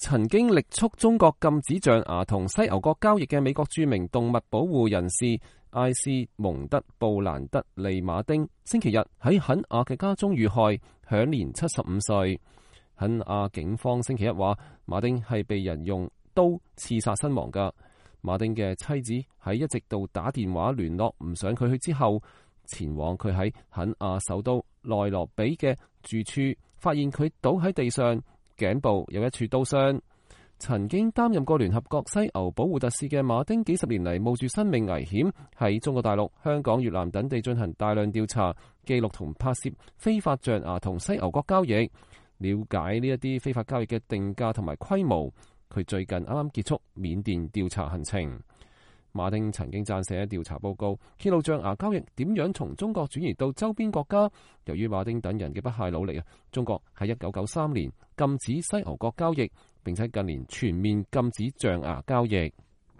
曾經力促中國禁止象牙同犀牛角交易嘅美國著名動物保護人士艾斯蒙德·布蘭德利馬丁，星期日喺肯亞嘅家中遇害，享年75歲。肯亞警方星期一話，馬丁係被人用刀刺殺身亡㗎。馬丁嘅妻子喺一直到打電話聯絡唔上佢去之後，前往佢喺肯亞首都內羅比嘅住處，發現佢倒喺地上，頸部有一處刀傷。曾經擔任過聯合國犀牛保護特使嘅馬丁，幾十年嚟冒住生命危險喺中國大陸、香港、越南等地進行大量調查、記錄同拍攝非法象牙同犀牛角交易，了解呢一啲非法交易嘅定價同埋規模。佢最近啱啱結束緬甸調查行程。馬丁曾經撰寫調查報告，揭露象牙交易點樣從中國轉移到周邊國家。由於馬丁等人嘅不懈努力啊，中國喺1993年禁止犀牛角交易，並且近年全面禁止象牙交易。